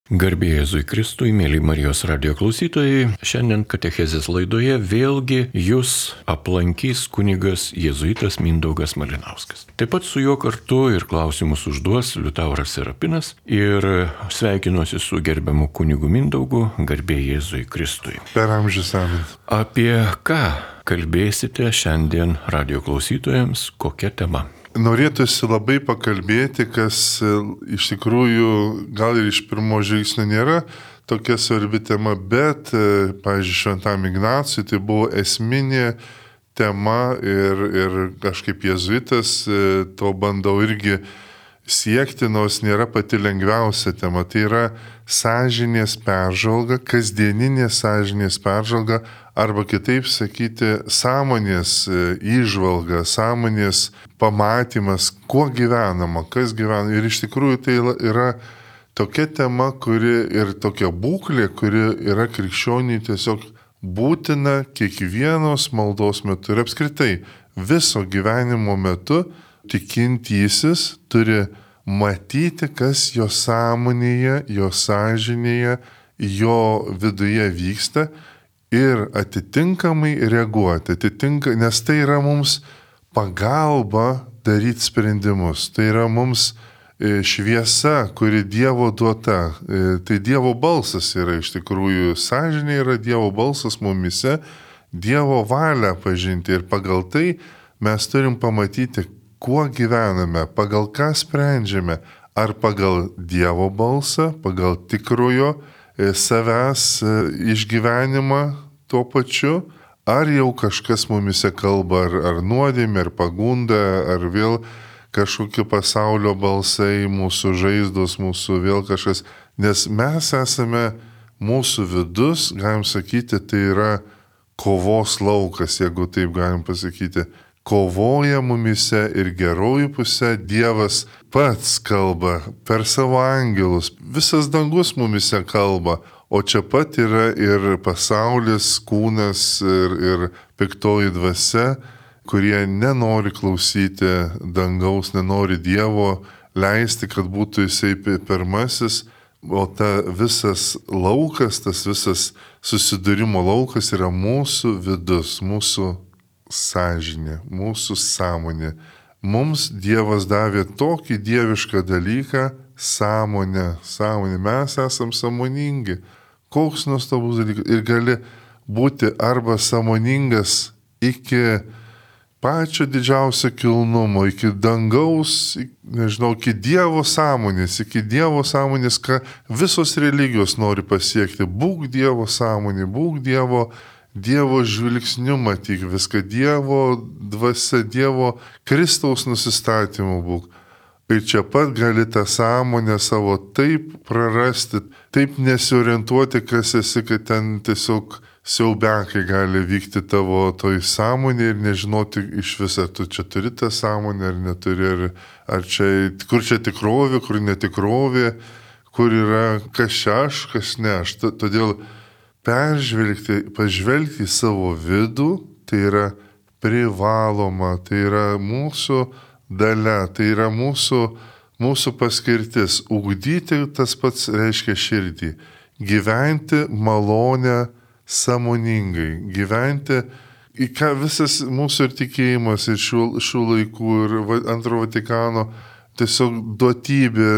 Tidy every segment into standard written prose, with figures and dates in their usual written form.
Garbė Jėzui Kristui, mėly Marijos radio klausytojai, šiandien katechezės laidoje vėlgi jūs aplankys kunigas jėzuitas Mindaugas Malinauskas. Taip pat su juo kartu ir klausimus užduos Liutauras Serapinas ir sveikinuosi su gerbiamu kunigu Mindaugu, garbė Jėzui Kristui. Per amžius amen. Apie ką kalbėsite šiandien radio klausytojams, kokia tema? Norėtųsi labai pakalbėti, kas iš tikrųjų gal ir iš pirmo žvilgsnio nėra tokia svarbi tema, bet, pavyzdžiui, Šventam Ignacui tai buvo esminė tema ir kažkaip jėzuitas to bandau irgi siekti, nors nėra pati lengviausia tema. Tai yra sąžinės peržvalga, kasdieninė sąžinės peržvalga, arba kitaip sakyti, sąmonės įžvalga, sąmonės pamatymas, kuo gyvenama, kas gyvena. Ir iš tikrųjų tai yra tokia tema, ir tokia būklė, kuri yra krikščioniui tiesiog būtina kiekvienos maldos metu. Ir apskritai viso gyvenimo metu tikintysis turi matyti, kas jo sąmonėje, jo sąžinėje, jo viduje vyksta ir atitinkamai reaguoti. Nes tai yra mums pagalba daryti sprendimus. Tai yra mums šviesa, kuri Dievo duota. Tai Dievo balsas yra iš tikrųjų. Sąžinė yra Dievo balsas mumise, Dievo valią pažinti. Ir pagal tai mes turim pamatyti, kuo gyvename, pagal ką sprendžiame. Ar pagal Dievo balsą, pagal tikrojo savęs išgyvenimą tuo pačiu, ar jau kažkas mumise kalba, ar nuodėmė, ar pagunda, ar vėl kažkokie pasaulio balsai, mūsų žaizdos, mūsų vėl kažkas. Nes mes esame, mūsų vidus, galim sakyti, tai yra kovos laukas, jeigu taip galim pasakyti. Kovoja mumise ir gerojų pusė Dievas pats kalba per savo angelus. Visas dangus mumise kalba, o čia pat yra ir pasaulis, kūnas ir piktoji dvasia, kurie nenori klausyti dangaus, nenori Dievo leisti, kad būtų jisai pirmasis, o ta visas laukas, tas visas susidūrimo laukas yra mūsų vidus, mūsų sąžinė, mūsų sąmonė. Mums Dievas davė tokį dievišką dalyką - sąmonę. Mes esam sąmoningi. Koks nuostabus dalykas. Ir gali būti arba sąmoningas iki pačio didžiausio kilnumo, iki dangaus, iki Dievo sąmonės, ką visos religijos nori pasiekti. Būk Dievo sąmonė, būk Dievo žvilgsniu matyk viską, Dievo dvasia, Dievo Kristaus nusistatymu būk. Ir čia pat gali tą sąmonę savo taip prarasti, taip nesiorientuoti, kas esi, kad ten tiesiog siaubiakai gali vykti tavo toj sąmonė ir nežinoti iš viso, tu čia turi tą sąmonę ar neturi, kur čia tikrovė, kur netikrovė, kur yra kas čia aš, kas ne aš. Todėl pažvelgti į savo vidų, tai yra privaloma, tai yra mūsų dalia, tai yra mūsų paskirtis. Ugdyti tas pats reiškia širdį. Gyventi malonę sąmoningai. Gyventi, į ką visas mūsų ir tikėjimas ir šių laikų ir antro Vatikano tiesiog duotybė,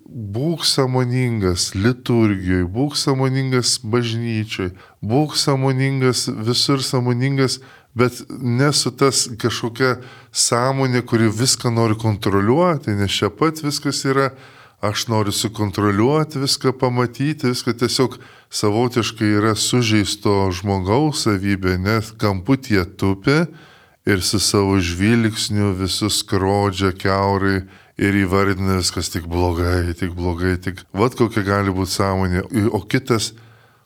būk sąmoningas liturgijoje, būk sąmoningas bažnyčioj, būk sąmoningas, visur sąmoningas, bet nesu tas kažkokia sąmonė, kuri viską nori kontroliuoti, nes čia pat viskas yra, aš noriu sukontroliuoti, viską pamatyti, viską tiesiog savotiškai yra sužeisto žmogaus savybė, nes kamputyje tupi ir su savo žvilgsniu visus skrodžia kiaurai, ir įvardina viskas tik blogai. Vat kokia gali būti sąmonė. O kitas,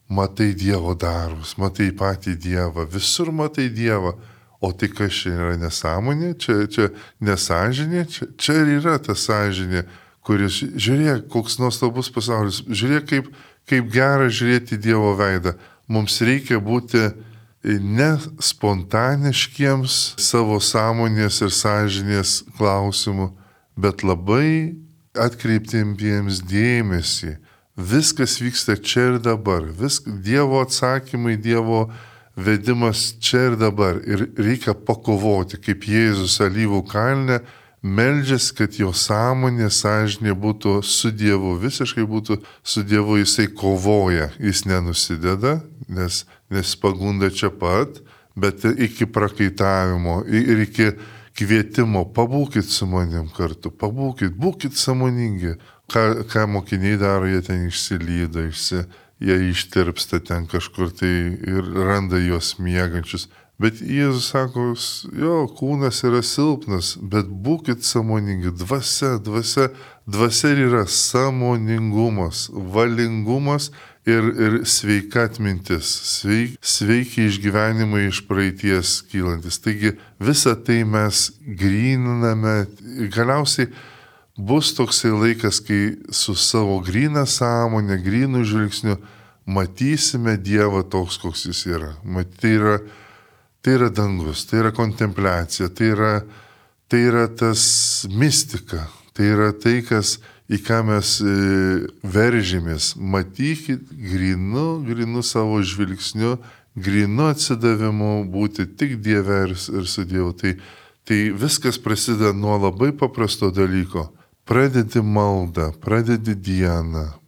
matai Dievo darbus, matai patį Dievą, visur matai Dievą. O tai kas čia yra nesąmonė, čia nesąžinė, čia ir yra ta sąžinė, kuris, žiūrėk, koks nuostabus pasaulis, žiūrėk, kaip gera žiūrėti Dievo veidą. Mums reikia būti ne spontaniškiems savo sąmonės ir sąžinės klausimų, bet labai atkreiptiems dėmesį viskas vyksta čia ir dabar. Dievo atsakymai, Dievo vedimas čia ir dabar. Ir reikia pakovoti, kaip Jėzus Alyvų kalne meldžiasi, kad jo sąmonė, sąžinė būtų su Dievu, visiškai būtų su Dievu, jisai kovoja, jis nenusideda, nes pagunda čia pat, bet iki prakaitavimo ir iki kvietimo, pabūkit su manim kartu, būkit sąmoningi. Ką mokiniai daro, jie ten išsilyda, jie ištirpsta ten kažkur tai ir randa juos miegančius. Bet Jėzus sako, jo, kūnas yra silpnas, bet būkit sąmoningi, dvasia yra sąmoningumas, valingumas ir sveika atmintis, sveiki išgyvenimai iš praeities kylantis. Taigi visą tai mes gryniname ir galiausiai bus toksai laikas, kai su savo gryna sąmonė, grynų žvilgsniu matysime Dievą toks, koks jis yra. Tai yra dangus, tai yra kontempliacija, tai yra tas mistika, tai yra tai, į ką mes veržėmės. Matykit grinu savo žvilgsniu, grinu atsidavimu būti tik Dieve ir su Dievu. Tai viskas prasideda nuo labai paprasto dalyko. Pradedi maldą, pradedi dieną,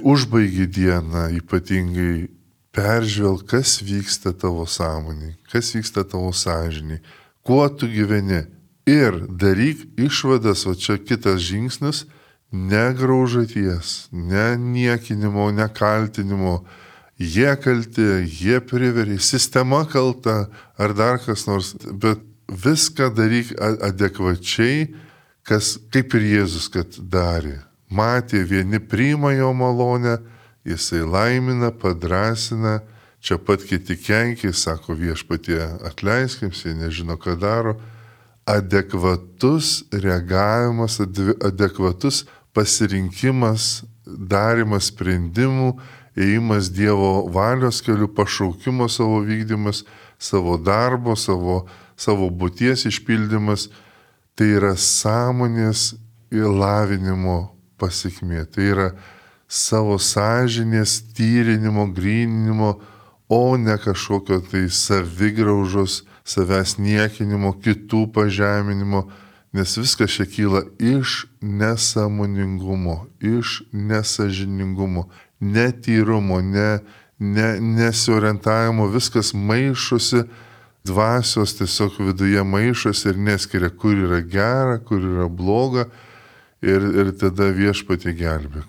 užbaigi dieną ypatingai. Peržvelk, kas vyksta tavo sąmonėj, kas vyksta tavo sąžinėj, kuo tu gyveni. Ir daryk išvadas, o čia kitas žingsnis, negraužaties, ne niekinimo, ne kaltinimo. Jie kalti, jie priverė, sistema kalta ar dar kas nors, bet viską daryk adekvačiai, kaip ir Jėzus, kad darė. Matė, vieni priima jo malonę, jisai laimina, padrasina, čia pat kiti kenkia, sako Viešpatie atleisk, jie nežino, ką daro. Adekvatus reagavimas, adekvatus pasirinkimas, darimas sprendimų, ėjimas Dievo valios keliu, pašaukimo savo vykdymas, savo darbo, savo būties išpildymas, tai yra sąmonės lavinimo pasekmė. Tai yra savo sąžinės tyrinimo, gryninimo, o ne kažkokio tai savigraužos, savęs niekinimo, kitų pažeminimo, nes viskas čia kyla iš nesąmoningumo, iš nesažiningumo, netyrumo, nesiorientavimo, viskas maišosi, dvasios tiesiog viduje maišosi ir neskiria, kur yra gera, kur yra bloga ir tada Viešpatie gelbėk.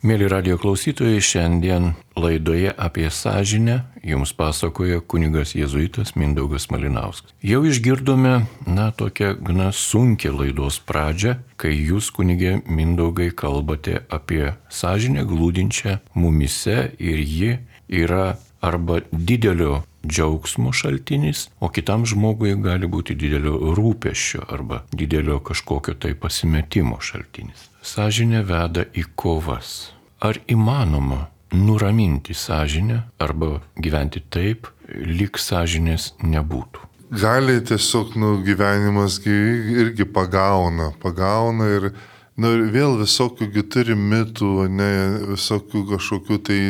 Mėly radijo klausytojai, šiandien laidoje apie sąžinę jums pasakoja kunigas jėzuitas Mindaugas Malinauskas. Jau išgirdome, tokią gana sunkią laidos pradžią, kai jūs, kunigė Mindaugai, kalbate apie sąžinę glūdinčią mumyse ir ji yra arba didelio džiaugsmo šaltinis, o kitam žmogui gali būti didelio rūpesčio arba didelio kažkokio tai pasimetimo šaltinis. Sąžinė veda į kovas. Ar įmanoma nuraminti sąžinę arba gyventi taip, lyg sąžinės nebūtų? Gali tiesiog gyvenimas irgi pagauna ir vėl visokių turi mitų, visokių kažkokių tai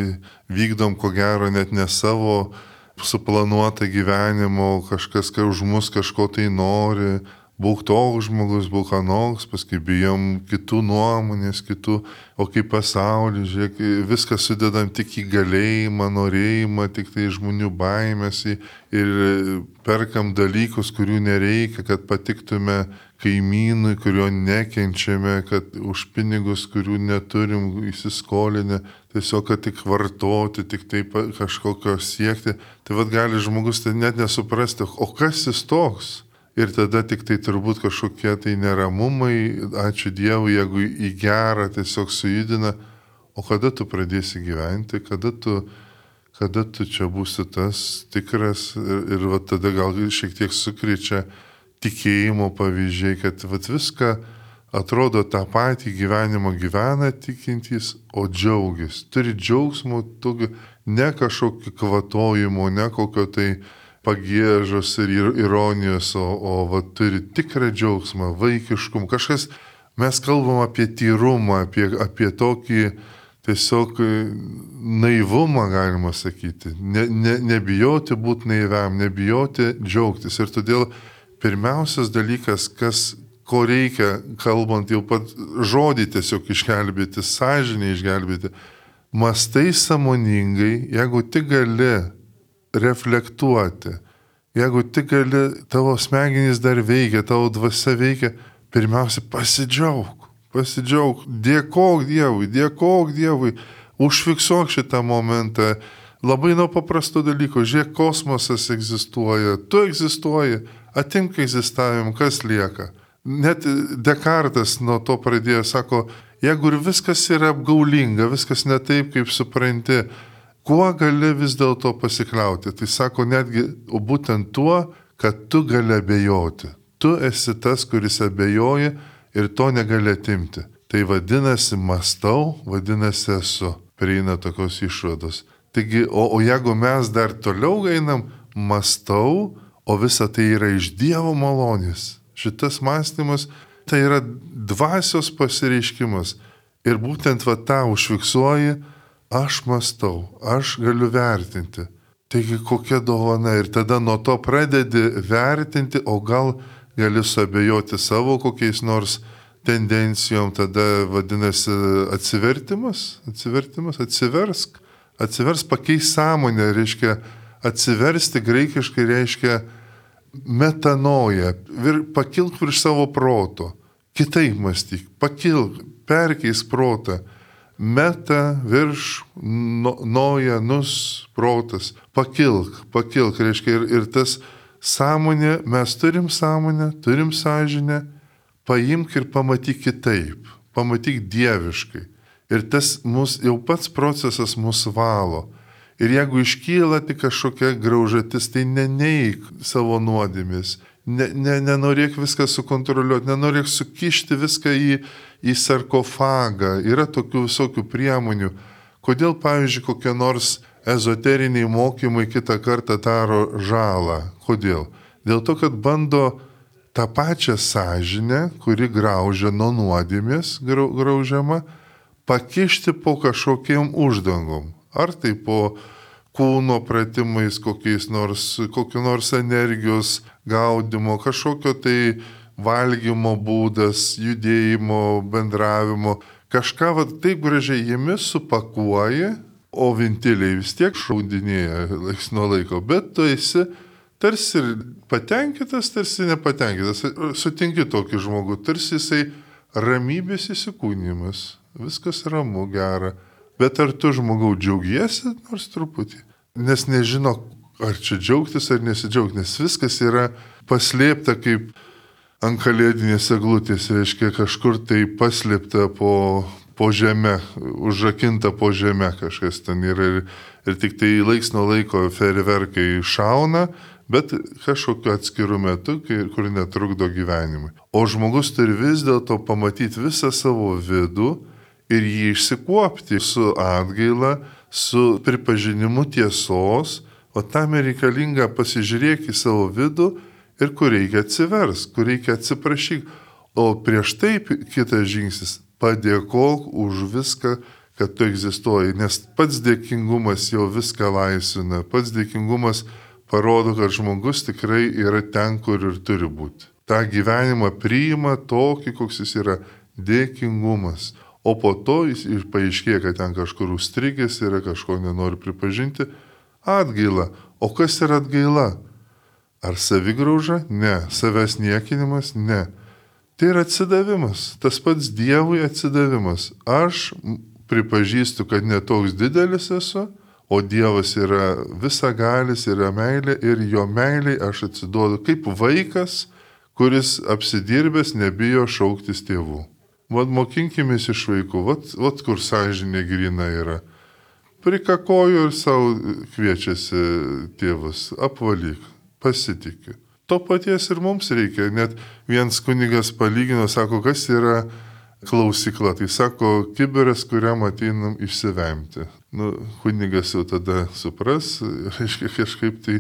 vykdom ko gero net ne savo suplanuotą gyvenimo, kažkas už mus kažko tai nori. Būk toks žmogus, būk anoks, paskui bijom kitų nuomonės, o kaip pasaulį, žiūrėk, viską sudedam tik į galėjimą, norėjimą, tik tai žmonių baimės ir perkam dalykus, kurių nereikia, kad patiktume kaimynui, kurio nekenčiame, kad už pinigus, kurių neturim įsiskolinę, tiesiog, kad tik vartoti, tik tai kažkokio siekti. Tai gali žmogus tai net nesuprasti, o kas jis toks? Ir tada tik tai turbūt kažkokie tai neramumai, ačiū Dievui, jeigu į gerą tiesiog sujudina, o kada tu pradėsi gyventi, kada tu čia būsi tas tikras ir tada gal šiek tiek sukriečia tikėjimo pavyzdžiai, kad viską atrodo tą patį gyvenimą gyvena tikintys, o džiaugiasi. Turi džiaugsmo, ne kažkokio kvatojimo, ne kokio tai pagiežos ir ironijos, o turi tikrą džiaugsmą, vaikiškumą. Kažkas Mes kalbam apie tyrumą, apie tokį tiesiog naivumą, galima sakyti. Nebijoti būti naiviam, nebijoti džiaugtis. Ir todėl pirmiausias dalykas, ko reikia, kalbant jau pat žodį tiesiog išgelbėti, sąžinę išgelbėti, mąstai sąmoningai, jeigu tik gali reflektuoti, jeigu tik gali, tavo smegenys dar veikia, tavo dvasia veikia, pirmiausia pasidžiaug, dėkok Dievui, užfiksuok šitą momentą. Labai nuo paprasto dalyko, žiūrėk, kosmosas egzistuoja, tu egzistuoji, atimk egzistavimą, kas lieka. Net Dekartas nuo to pradėjo, sako, jeigu ir viskas yra apgaulinga, viskas ne taip, kaip supranti, kuo gali vis dėlto pasikliauti? Tai sako netgi būtent tuo, kad tu gali abejoti. Tu esi tas, kuris abejoji ir to negali atimti. Tai vadinasi mąstau, vadinasi esu. Prieina tokios išvados. Taigi, o jeigu mes dar toliau einam, mąstau, o visa tai yra iš Dievo malonės. Šitas mąstymas tai yra dvasios pasireiškimas. Ir būtent tą užfiksuoji, aš mąstau, aš galiu vertinti. Taigi kokia dovana. Ir tada nuo to pradedi vertinti, o gal gali suabejoti savo kokiais nors tendencijom, tada vadinasi atsivertimas, atsiversk, pakeis sąmonę, reiškia atsiversti graikiškai reiškia metanoja, pakilk virš savo proto, kitaip mąstyk, pakilk, perkeis protą, meta virš noja, nus protas, pakilk, reiškia ir tas sąmonė, mes turim sąmonę, turim sąžinę, paimk ir pamatyk kitaip, pamatyk dieviškai. Ir tas jau pats procesas mus valo. Ir jeigu iškyla tik kažkokia graužatis, tai neneik savo nuodėmės, nenorėk viską sukontroliuoti, nenorėk sukišti viską į sarkofagą. Yra tokių visokių priemonių. Kodėl, pavyzdžiui, kokie nors ezoteriniai mokymai kitą kartą daro žalą? Kodėl? Dėl to, kad bando tą pačią sąžinę, kuri graužia nuo nuodėmės, graužiama, pakišti po kažkokiem uždangom. Ar tai po kūno pratimais, kokio nors energijos gaudimo, kažkokio tai valgymo būdas, judėjimo, bendravimo. Kažką taip gražiai jiemis supakuoji, o vintiliai vis tiek šaudinėja laiks nuo laiko. Bet tu esi tarsi patenkintas, tarsi nepatenkintas. Sutinki tokį žmogų, tarsi jisai ramybės įsikūnimas. Viskas ramu, gera. Bet ar tu žmogau džiaugiesi nors truputį? Nes nežino, ar čia džiaugtis ar nesidžiaugti, nes viskas yra paslėpta kaip ant kalėdinės eglutės, reiškia kažkur tai paslėpta po žeme, užrakinta po žeme kažkas ten yra ir tik tai laiks nuo laiko fejerverkai šauna, bet kažkokiu atskiru metu, kur netrukdo gyvenimui. O žmogus turi vis dėlto pamatyti visą savo vidų ir jį išsikuopti su atgaila, su pripažinimu tiesos, o tam reikalinga pasižiūrėk į savo vidų ir kur reikia atsivers, kur reikia atsiprašyk. O prieš tai kitas žingsnis - padėkok už viską, kad tu egzistuoji, nes pats dėkingumas jau viską laisvina, pats dėkingumas parodo, kad žmogus tikrai yra ten, kur ir turi būti. Ta gyvenimą priima tokį, koks jis yra, dėkingumas. O po to jis paaiškėja, kad ten kažkur užstrigęs yra, kažko nenori pripažinti. Atgaila. O kas yra atgaila? Ar savigrauža? Ne. Savęs niekinimas? Ne. Tai yra atsidavimas. Tas pats Dievui atsidavimas. Aš pripažįstu, kad netoks didelis esu, o Dievas yra visagalis, yra meilė ir jo meiliai aš atsiduodu kaip vaikas, kuris apsidirbęs nebijo šauktis tėvų. Vat mokinkimės iš vaikų, vat kur sąžinė grina yra. Prikakoju ir savo kviečiasi tėvus, apvalyk, pasitikiu. To paties ir mums reikia. Net vienas kunigas palygino, sako, kas yra klausykla. Tai sako, kibiras, kuriam ateinam išsivemti. Kunigas jau tada supras, reiškia kažkaip tai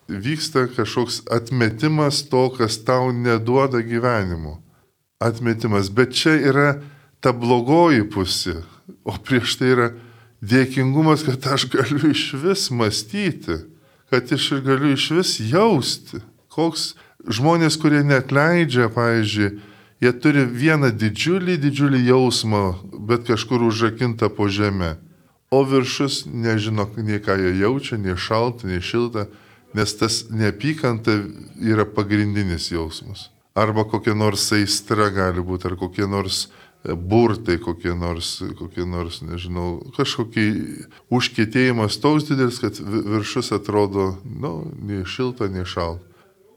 vyksta kažkoks atmetimas to, kas tau neduoda gyvenimo. atmetimas. Bet čia yra ta blogoji pusė, o prieš tai yra dėkingumas, kad aš galiu iš vis mąstyti, kad aš galiu iš vis jausti. Koks žmonės, kurie neatleidžia, pavyzdžiui, jie turi vieną didžiulį jausmą, bet kažkur užrakintą po žemę. O viršus nežino, nei ką jie jaučia, nei šalta, nei šilta, nes tas neapykanta yra pagrindinis jausmas. Arba kokia nors aistra gali būti, ar kokie nors burtai, kokie nors, nežinau, kažkokį užkietėjimas toks didelis, kad viršus atrodo, nei šilta, nei šalta.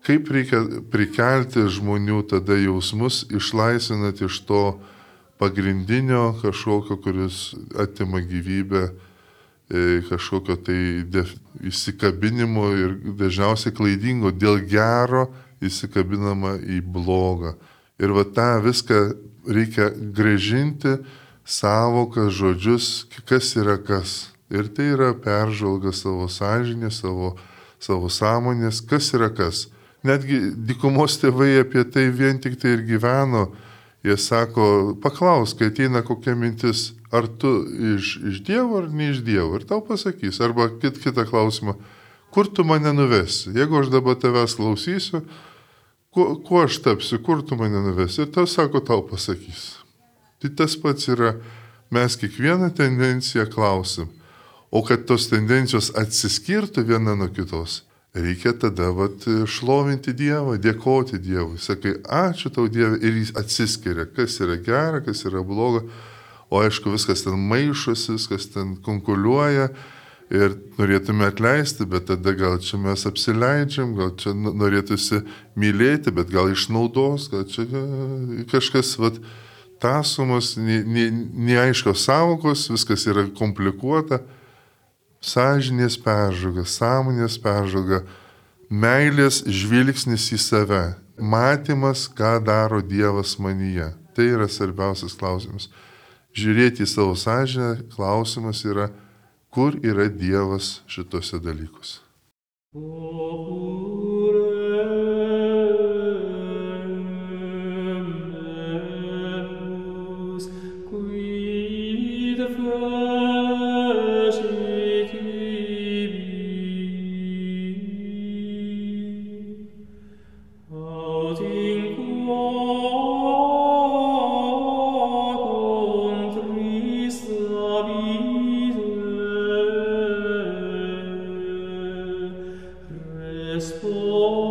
Kaip reikia prikelti žmonių tada jausmus, išlaisvinant iš to pagrindinio kažkokio, kuris atima gyvybę, kažkokio tai įsikabinimo ir dažniausiai klaidingo, dėl gero įsikabinama į blogą. Ir tą viską reikia grąžinti savoką, žodžius, kas yra kas. Ir tai yra peržvalga savo sąžinės, savo sąmonės, kas yra kas. Netgi dykumos tėvai apie tai vien tik tai ir gyveno. Jie sako, paklausk, kai ateina kokia mintis, ar tu iš Dievo ar ne iš Dievo. Ir tau pasakys. Arba kitą klausimą, kur tu mane nuvesi? Jeigu aš dabar tavęs klausysiu, kuo aš tapsiu, kur tu mane nuvesi? Ir tau sako, tau pasakys. Tai tas pats yra, mes kiekvieną tendenciją klausim. O kad tos tendencijos atsiskirtų viena nuo kitos, reikia tada šlovinti Dievą, dėkoti Dievui. Sakai, ačiū tau Dieve, ir jis atsiskiria, kas yra gera, kas yra bloga. O aišku, viskas ten maišosi, viskas ten konkuliuoja ir norėtume atleisti, bet tada gal čia mes apsileidžiam, gal čia norėtųsi mylėti, bet gal išnaudos, gal čia kažkas tąsumos, neaiškios savokos, viskas yra komplikuota. Sąžinės peržvalga, sąmonės peržvalga, meilės žvilgsnis į save, matymas, ką daro Dievas manyje. Tai yra svarbiausias klausimas. Žiūrėti į savo sąžinę, klausimas yra, kur yra Dievas šitose dalykuose. Responde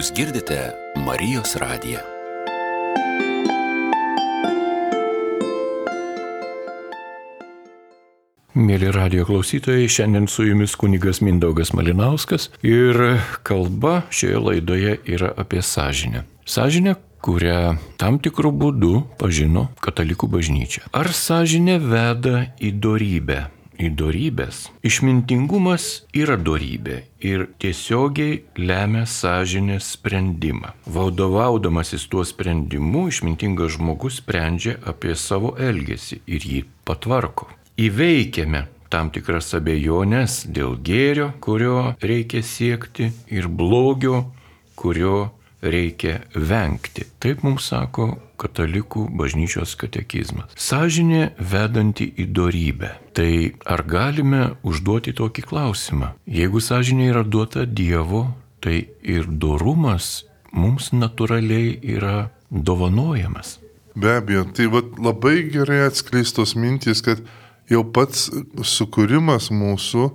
Jūs girdite Marijos radiją. Mėly radijo klausytojai, šiandien su jumis kunigas Mindaugas Malinauskas ir kalba šioje laidoje yra apie sąžinę. Sąžinę, kurią tam tikrų būdų pažino katalikų bažnyčia. Ar sąžinė veda į dorybę? Į dorybės. Išmintingumas yra dorybė ir tiesiogiai lemia sąžinės sprendimą. Vadovaudamasis tuo sprendimu, išmintingas žmogus sprendžia apie savo elgesį ir jį patvarko. Įveikiame tam tikras abejonės dėl gėrio, kurio reikia siekti, ir blogio, kurio reikia vengti. Taip mums sako katalikų bažnyčios katekizmas. Sąžinė vedanti į dorybę. Tai ar galime užduoti tokį klausimą? Jeigu sąžinė yra duota Dievo, tai ir dorumas mums natūraliai yra dovanojamas. Be abejo, tai labai gerai atskleistos mintys, kad jau pats sukūrimas mūsų,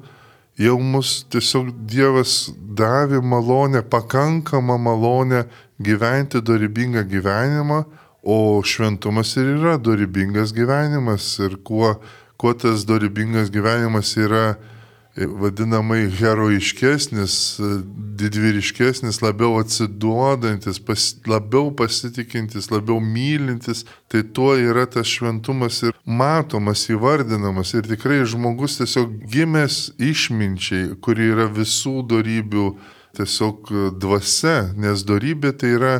jau mus tiesiog Dievas davė malonę, pakankamą malonę gyventi dorybingą gyvenimą, o šventumas ir yra dorybingas gyvenimas. Ir kuo tas dorybingas gyvenimas yra vadinamai heroiškesnis, didvyriškesnis, labiau atsiduodantis, labiau pasitikintis, labiau mylintis, tai tuo yra tas šventumas ir matomas, įvardinamas. Ir tikrai žmogus tiesiog gimęs išminčiai, kuri yra visų dorybių tiesiog dvasia, nes dorybė tai yra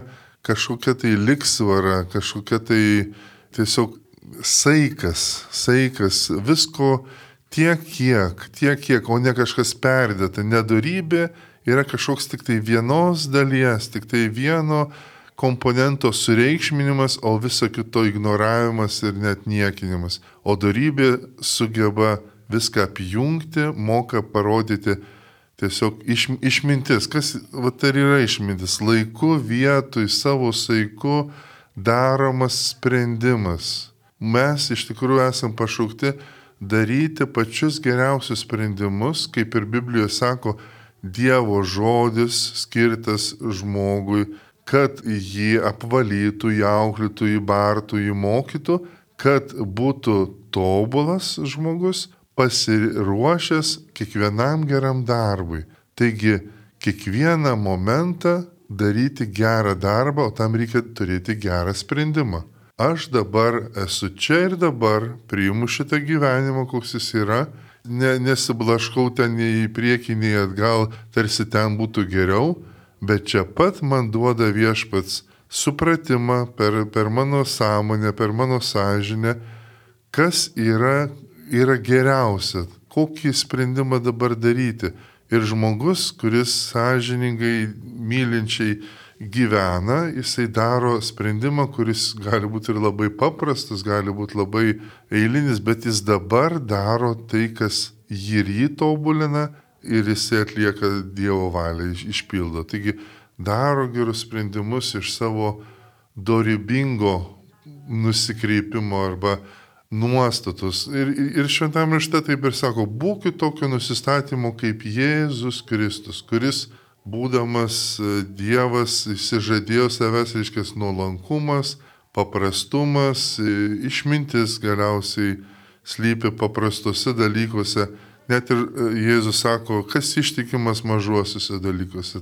kažkokia tai liksvara, kažkokia tai tiesiog saikas, visko tiek kiek, o ne kažkas perdėta. Nedorybė yra kažkoks tik tai vienos dalies, tik tai vieno komponento sureikšminimas, o viso kito ignoravimas ir net niekinimas. O dorybė sugeba viską apjungti, moka parodyti tiesiog išmintis. Kas tai yra išmintis? Laiku, vietoj, savo saiku daromas sprendimas. Mes iš tikrųjų esam pašaukti daryti pačius geriausius sprendimus, kaip ir Biblijoje sako, Dievo žodis skirtas žmogui, kad jį apvalytų, jį auklėtų, jį bartų, jį mokytų, kad būtų tobulas žmogus, pasiruošęs kiekvienam geram darbui. Taigi, kiekvieną momentą daryti gerą darbą, o tam reikia turėti gerą sprendimą. Aš dabar esu čia ir dabar, priimu šitą gyvenimą, koks jis yra, nesiblaškau ten nei į priekį, nei atgal, tarsi ten būtų geriau, bet čia pat man duoda Viešpats supratimą per mano sąmonę, per mano sąžinę, kas yra geriausia, kokį sprendimą dabar daryti. Ir žmogus, kuris sąžiningai, mylinčiai gyvena, jisai daro sprendimą, kuris gali būti ir labai paprastas, gali būti labai eilinis, bet jis dabar daro tai, kas jį tobulina ir jisai atlieka Dievo valią, išpildo. Taigi daro gerus sprendimus iš savo dorybingo nusikreipimo arba nuostatos. Ir šventame rašte taip ir sako, būkit tokio nusistatymo kaip Jėzus Kristus, kuris būdamas Dievas išsižadėjo savęs, reiškia nuolankumas, paprastumas, išmintis galiausiai slypi paprastuose dalykuose. Net ir Jėzus sako, kas ištikimas mažuosiuose dalykuose,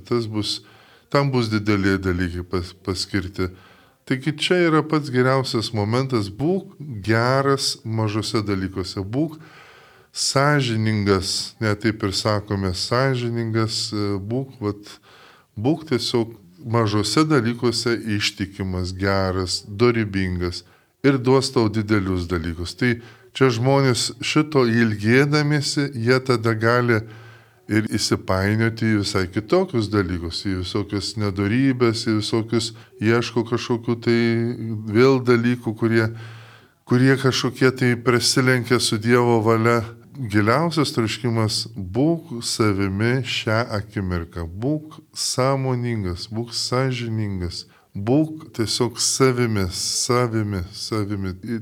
tam bus dideli dalykai paskirti. Taigi čia yra pats geriausias momentas, būk geras mažose dalykuose, būk sąžiningas, net taip ir sakome, sąžiningas, būk tiesiog mažose dalykuose ištikimas, geras, dorybingas ir duos tau didelius dalykus. Tai čia žmonės šito ilgėdamiesi, jie tada gali ir įsipainioti į visai kitokius dalykus, į visokias nedorybės, į visokius ieško kažkokių tai vėl dalykų, kurie kažkokie tai prasilenkia su Dievo valia. Giliausias troškimas - būk savimi šią akimirką, būk sąmoningas, būk sąžiningas, būk tiesiog savimi.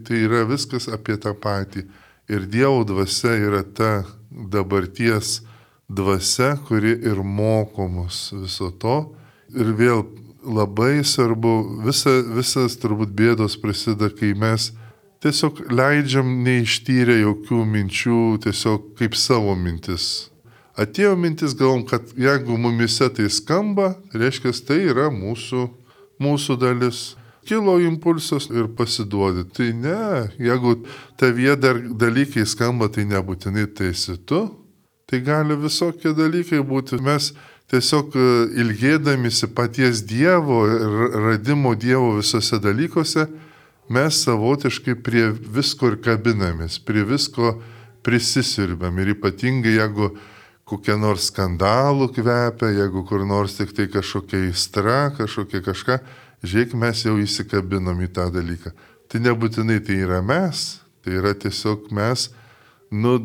Tai yra viskas apie tą patį. Ir Dievo dvasia yra ta dabarties dvasia, kuri ir moko mus viso to. Ir vėl labai svarbu, visas turbūt bėdos prasideda, kai mes tiesiog leidžiam neištyrę jokių minčių, tiesiog kaip savo mintis. Atėjo mintis, galvom, kad jeigu mumise tai skamba, reiškia, tai yra mūsų dalis. Kilo impulsas ir pasiduodi. Tai ne, jeigu tavyje dar dalykai skamba, tai nebūtinai tai esi tu. Tai gali visokie dalykai būti. Mes tiesiog ilgėdamisi paties Dievo ir radimo Dievo visose dalykuose, mes savotiškai prie visko ir kabinamės, prie visko prisisirbėm. Ir ypatingai, jeigu kokie nors skandalų kvepia, jeigu kur nors tik tai kažkokia aistra, kažkokia kažką, žiūrėk, mes jau įsikabinom į tą dalyką. Tai nebūtinai tai yra mes, tai yra tiesiog mes,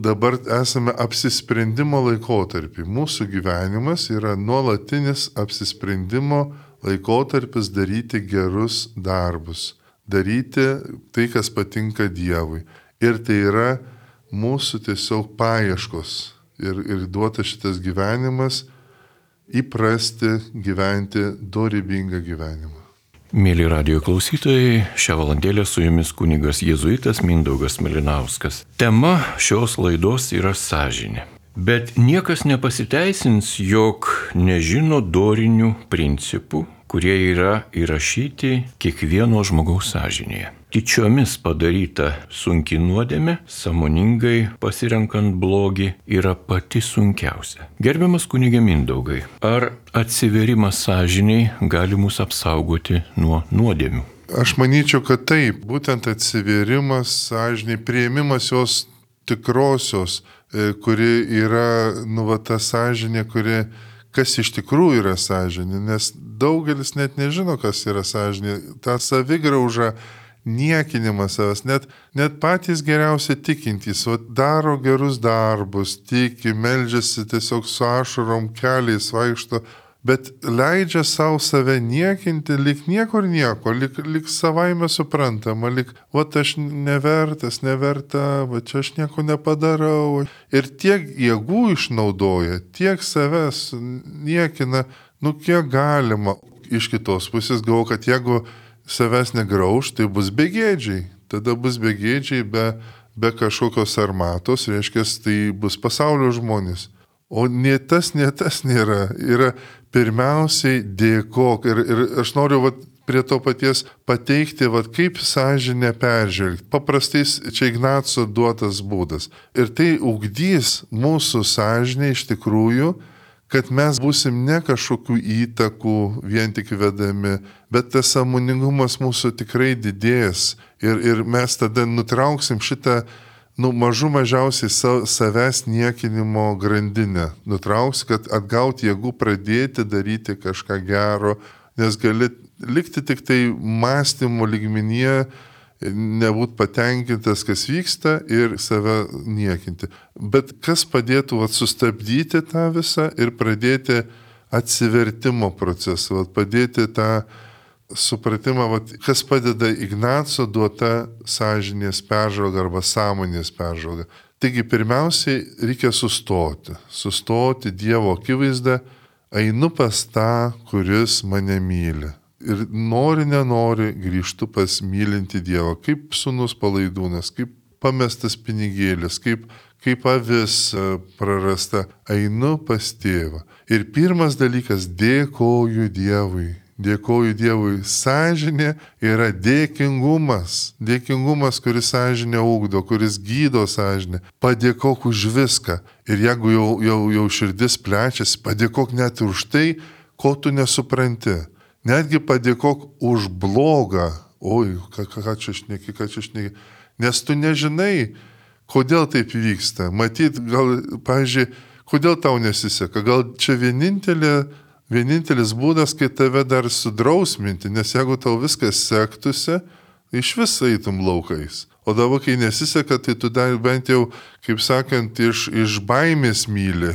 dabar esame apsisprendimo laikotarpį. Mūsų gyvenimas yra nuolatinis apsisprendimo laikotarpis daryti gerus darbus, daryti tai, kas patinka Dievui. Ir tai yra mūsų tiesiog paieškos. Ir duota šitas gyvenimas įprasti gyventi dorybingą gyvenimą. Mėly radijo klausytojai, šią valandėlę su jumis kunigas jėzuitas Mindaugas Malinauskas. Tema šios laidos yra sąžinė. Bet niekas nepasiteisins, jog nežino dorinių principų, kurie yra įrašyti kiekvieno žmogaus sąžinėje. Tyčiomis padaryta sunki nuodėmė, sąmoningai pasirenkant blogį, yra pati sunkiausia. Gerbiamas kunige Mindaugai, ar atsiverimas sąžiniai gali mus apsaugoti nuo nuodėmių? Aš manyčiau, kad taip, būtent atsiverimas sąžiniai, priėmimas jos tikrosios, kuri yra, ta sąžinė, kas iš tikrųjų yra sąžinė, nes daugelis net nežino, kas yra sąžinė. Ta savigrauža, niekinimas savęs, net patys geriausi tikintys, daro gerus darbus, tiki, meldžiasi tiesiog su ašarom, keliais vaikšto, bet leidžia savo save niekinti, lyg niekur nieko, lyg savaime suprantama, lyg, aš neverta, čia aš nieko nepadarau. Ir tiek jėgų išnaudoja, tiek savęs niekina, kiek galima. Iš kitos pusės galvoju, kad jeigu savęs negrauž, tai bus begėdžiai. Tada bus begėdžiai be kažkokios armatos, reiškia, tai bus pasaulio žmonės. O nie tas nėra. Yra pirmiausiai dėkok. Ir aš noriu prie to paties pateikti, kaip sąžinę peržvelgti. Paprastais čia Ignaco duotas būdas. Ir tai ugdys mūsų sąžinę iš tikrųjų, kad mes būsim ne kažkokių įtakų vien tik vedami, bet tas sąmoningumas mūsų tikrai didės. Ir mes tada nutrauksim šitą mažiausiai savęs niekinimo grandinę. Nutrauks, kad atgauti jėgų pradėti daryti kažką gero, nes gali likti tik tai mąstymo lygmenyje, nebūt patenkintas, kas vyksta ir save niekinti. Bet kas padėtų sustabdyti tą visą ir pradėti atsivertimo procesą, padėti tą supratimą, kas padeda Ignaco duota sąžinės peržvalga arba sąmonės peržvalga. Taigi pirmiausiai reikia sustoti Dievo akivaizdą, einu pas tą, kuris mane myli. Ir nenori grįžtu pas mylinti Dievą, kaip sūnus palaidūnas, kaip pamestas pinigėlis, kaip avis prarasta, einu pas tėvą. Ir pirmas dalykas, dėkoju Dievui. Sąžinė yra dėkingumas, kuris sąžinę ugdo, kuris gydo sąžinę. Padėkok už viską. Ir jeigu jau širdis plečiasi, padėkok net už tai, ko tu nesupranti. Netgi padėkok už blogą. Oi, ką čia šneki. Nes tu nežinai, kodėl taip vyksta. Matyt, gal, pavyzdžiui, kodėl tau nesiseka. Gal čia vienintelis būdas, kai tave dar sudrausminti, nes jeigu tau viskas sektųsi, iš vis eitum laukais. O dabar, kai nesiseka, tai tu dar bent jau, kaip sakant, iš baimės myli.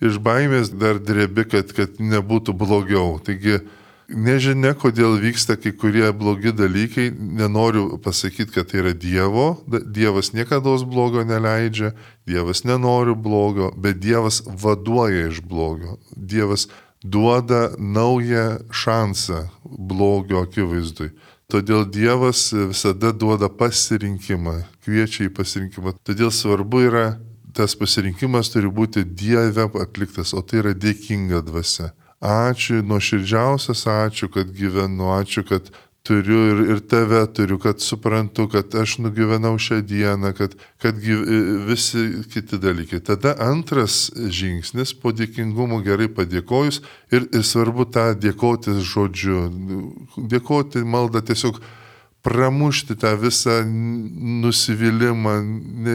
Iš baimės dar drebi, kad nebūtų blogiau. Taigi, nežinia, kodėl vyksta kai kurie blogi dalykai, nenoriu pasakyti, kad tai yra Dievo, Dievas niekada blogo neleidžia, Dievas nenori blogo, bet Dievas vaduoja iš blogo, Dievas duoda naują šansą blogio akivaizdui. Todėl Dievas visada duoda pasirinkimą, kviečia į pasirinkimą. Todėl svarbu yra, tas pasirinkimas turi būti Dieve atliktas, o tai yra dėkinga dvasia. Ačiū, nuoširdžiausias ačiū, kad gyvenu, ačiū, kad turiu ir tave turiu, kad suprantu, kad aš nugyvenau šią dieną, kad visi kiti dalykai. Tada antras žingsnis po dėkingumo gerai padėkojus ir svarbu tą dėkoti žodžiu. Dėkoti maldą tiesiog pramušti tą visą nusivylimą,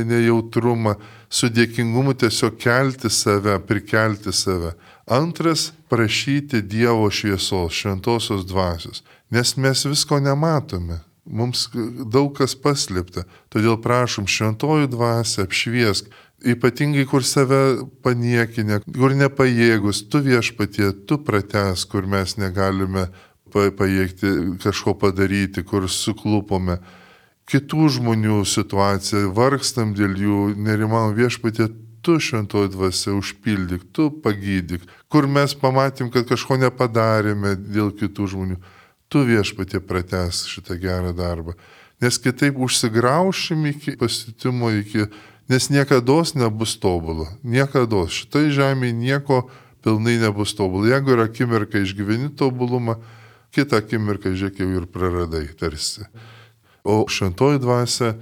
nejautrumą, su dėkingumu tiesiog kelti save, prikelti save. Antras - prašyti Dievo šviesos, šventosios dvasios. Nes mes visko nematome, mums daug kas paslėpta, todėl prašom šventojų dvasią apšviesk, ypatingai kur save paniekinę, kur nepajėgus, tu Viešpatie, tu pratęsk, kur mes negalime pajėgti kažko padaryti, kur suklupome. Kitų žmonių situaciją, vargstam dėl jų, nerimam Viešpatie, tu šventoji dvasia užpildyk, tu pagydyk, kur mes pamatėm, kad kažko nepadarėme dėl kitų žmonių. Tu Viešpatie pratęsk šitą gerą darbą. Nes kitaip užsigraušim iki pasitimo, nes niekados nebus tobulą. Niekados. Šitai žemėje nieko pilnai nebus tobulą. Jeigu yra akimirka išgyveni tobulumą, kitą akimirką žiūrėk jau ir praradai tarsi. O šventoji dvasia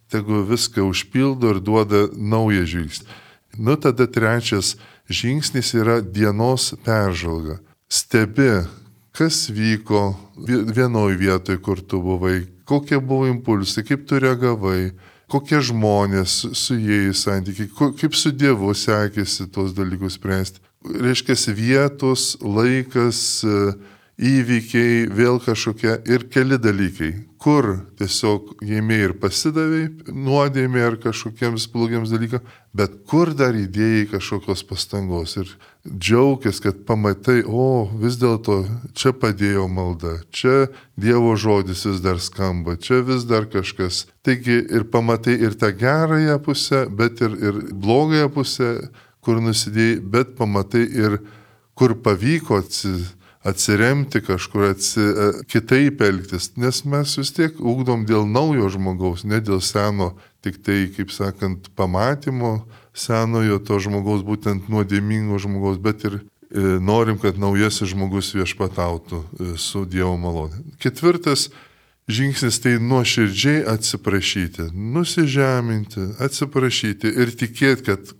tegu viską užpildo ir duoda naują žingsnį. Tada trečias žingsnis yra dienos peržvalga. Stebi, kas vyko vienoje vietoje, kur tu buvai, kokie buvo impulsai, kaip tu reagavai, kokie žmonės su jais santykiai, kaip su Dievu sekėsi tos dalykus spręsti. Reiškia, vietos, laikas, įvykiai, vėl kažkokie ir keli dalykai, kur tiesiog jėmė ir pasidavai nuodėmė ar kažkokiems blogiems dalykams, bet kur dar įdėjai kažkokios pastangos ir džiaugės, kad pamatai, vis dėlto čia padėjo malda, čia Dievo žodis vis dar skamba, čia vis dar kažkas. Taigi ir pamatai ir tą gerąją pusę, bet ir blogąją pusę, kur nusidėjai, bet pamatai ir kur pavyko atsiremti kažkur, kitaip elgtis, nes mes vis tiek ugdom dėl naujo žmogaus, ne dėl seno, tik tai, kaip sakant, pamatymo senojo to žmogaus, būtent nuodėmingo žmogaus, bet ir norim, kad naujasis žmogus viešpatautų su Dievo malonė. Ketvirtas žingsnis tai nuoširdžiai atsiprašyti, nusižeminti, atsiprašyti ir tikėti, kad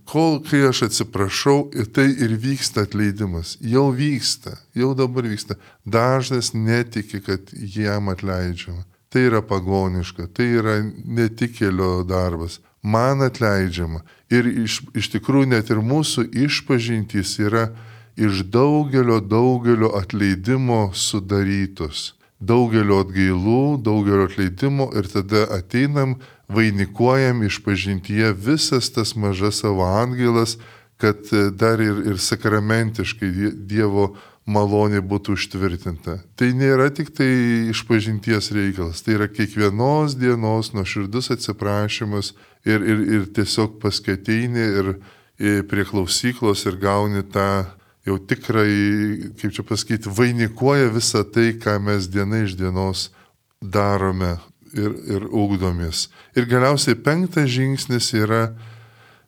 kai aš atsiprašau, tai ir vyksta atleidimas. Jau vyksta, jau dabar vyksta. Dažnas netiki, kad jam atleidžiama. Tai yra pagoniška, tai yra netikėlio darbas. Man atleidžiama. Ir iš tikrųjų net ir mūsų išpažintys yra iš daugelio atleidimo sudarytos. Daugelio atgailų, daugelio atleidimo ir tada ateinam, vainikuojam išpažintyje visas tas mažas savo atgailas, kad dar ir sakramentiškai Dievo malonė būtų užtvirtinta. Tai nėra tik tai išpažinties reikalas, tai yra kiekvienos dienos nuoširdus atsiprašymas ir tiesiog paskateinė ir prie klausyklos ir gauni tą jau tikrai, kaip čia pasakyti, vainikuoja visą tai, ką mes diena iš dienos darome ir ugdomės. Ir galiausiai 5 žingsnis yra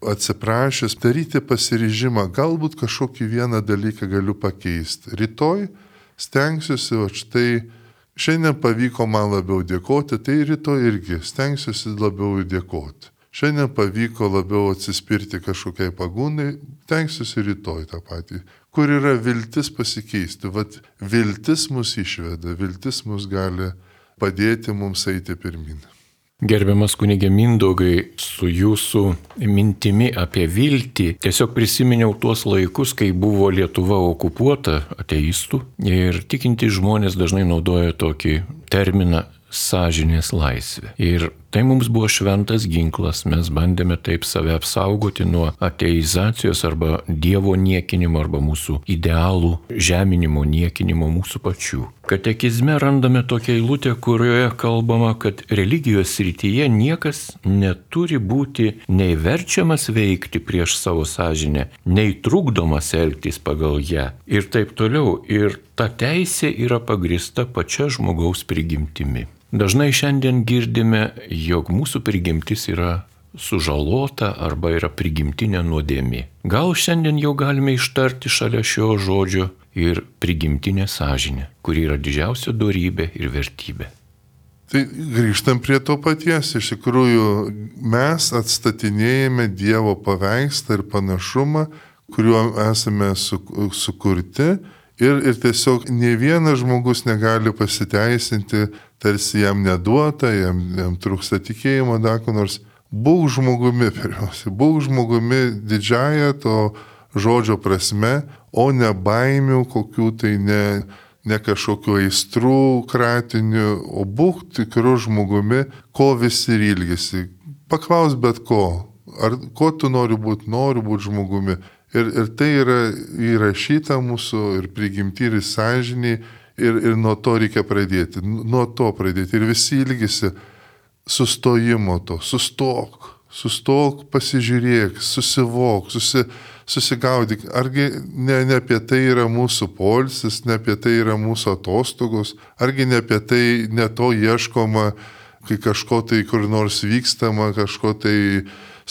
atsiprašęs, daryti pasiryžimą, galbūt kažkokį vieną dalyką galiu pakeisti. Rytoj stengsiuosi, o štai šiandien pavyko man labiau dėkoti, tai rytoj irgi stengsiuosi labiau dėkoti. Šiandien pavyko labiau atsispirti kažkokiai pagundai, stengsiuosi rytoj tą patį. Kur yra viltis pasikeisti. Vat viltis mus išveda, viltis mus gali padėti mums eiti pirmin. Gerbiamas kunige Mindaugai, su jūsų mintimi apie viltį tiesiog prisiminiau tuos laikus, kai buvo Lietuva okupuota ateistų ir tikintys žmonės dažnai naudoja tokį terminą sąžinės laisvė. Ir Tai mums buvo šventas ginklas, mes bandėme taip save apsaugoti nuo ateizacijos arba Dievo niekinimo arba mūsų idealų žeminimo, niekinimo mūsų pačių. Katekizme randame tokią eilutę, kurioje kalbama, kad religijos srityje niekas neturi būti nei verčiamas veikti prieš savo sąžinę, nei trukdomas elgtis pagal ją ir taip toliau. Ir ta teisė yra pagrįsta pačia žmogaus prigimtimi. Dažnai šiandien girdime, jog mūsų prigimtis yra sužalota arba yra prigimtinė nuodėmė. Gal šiandien jau galime ištarti šalia šio žodžio ir prigimtinė sąžinė, kuri yra didžiausia dorybė ir vertybė. Tai grįžtam prie to paties. Iš tikrųjų, mes atstatinėjame Dievo paveikslą ir panašumą, kuriuo esame sukurti. Ir tiesiog ne vienas žmogus negali pasiteisinti, tarsi jam neduota, jam trūksta tikėjimo, ko nors. Būk žmogumi pirmiausia, būk žmogumi didžiąją to žodžio prasme, o ne baimių kokių tai ne kažkokiu aistrų kratiniu, o būk tikru žmogumi, ko visi ir ilgisi. Paklaus bet ko, ar ko tu nori būti žmogumi. Ir tai yra įrašyta mūsų ir prigimti, ir sąžiniai, ir nuo to reikia pradėti. Nuo to pradėti. Ir visi ilgisi sustojimo to. Sustok, pasižiūrėk, susivok, susigaudyk. Argi ne apie tai yra mūsų poilsis, ne apie tai yra mūsų atostogos, argi ne apie tai ne to ieškoma, kai kažko tai kur nors vykstama, kažko tai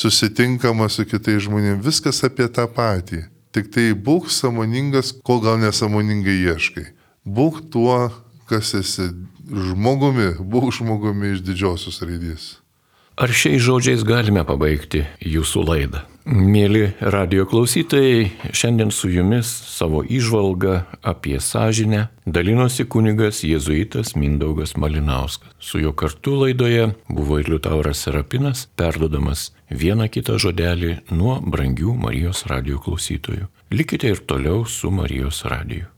susitinkama su kitais žmonėmis, viskas apie tą patį. Tik tai būk sąmoningas, ko gal nesąmoningai ieškai. Būk tuo, kas esi žmogumi, būk žmogumi iš didžiosios raidės. Ar šiais žodžiais galime pabaigti jūsų laidą? Mėly radijo klausytojai, šiandien su jumis savo įžvalgą apie sąžinę dalinosi kunigas jėzuitas Mindaugas Malinauskas. Su juo kartu laidoje buvo ir Liutauras Serapinas, perduodamas vieną kitą žodelį nuo brangių Marijos radijo klausytojų. Likite ir toliau su Marijos radiju.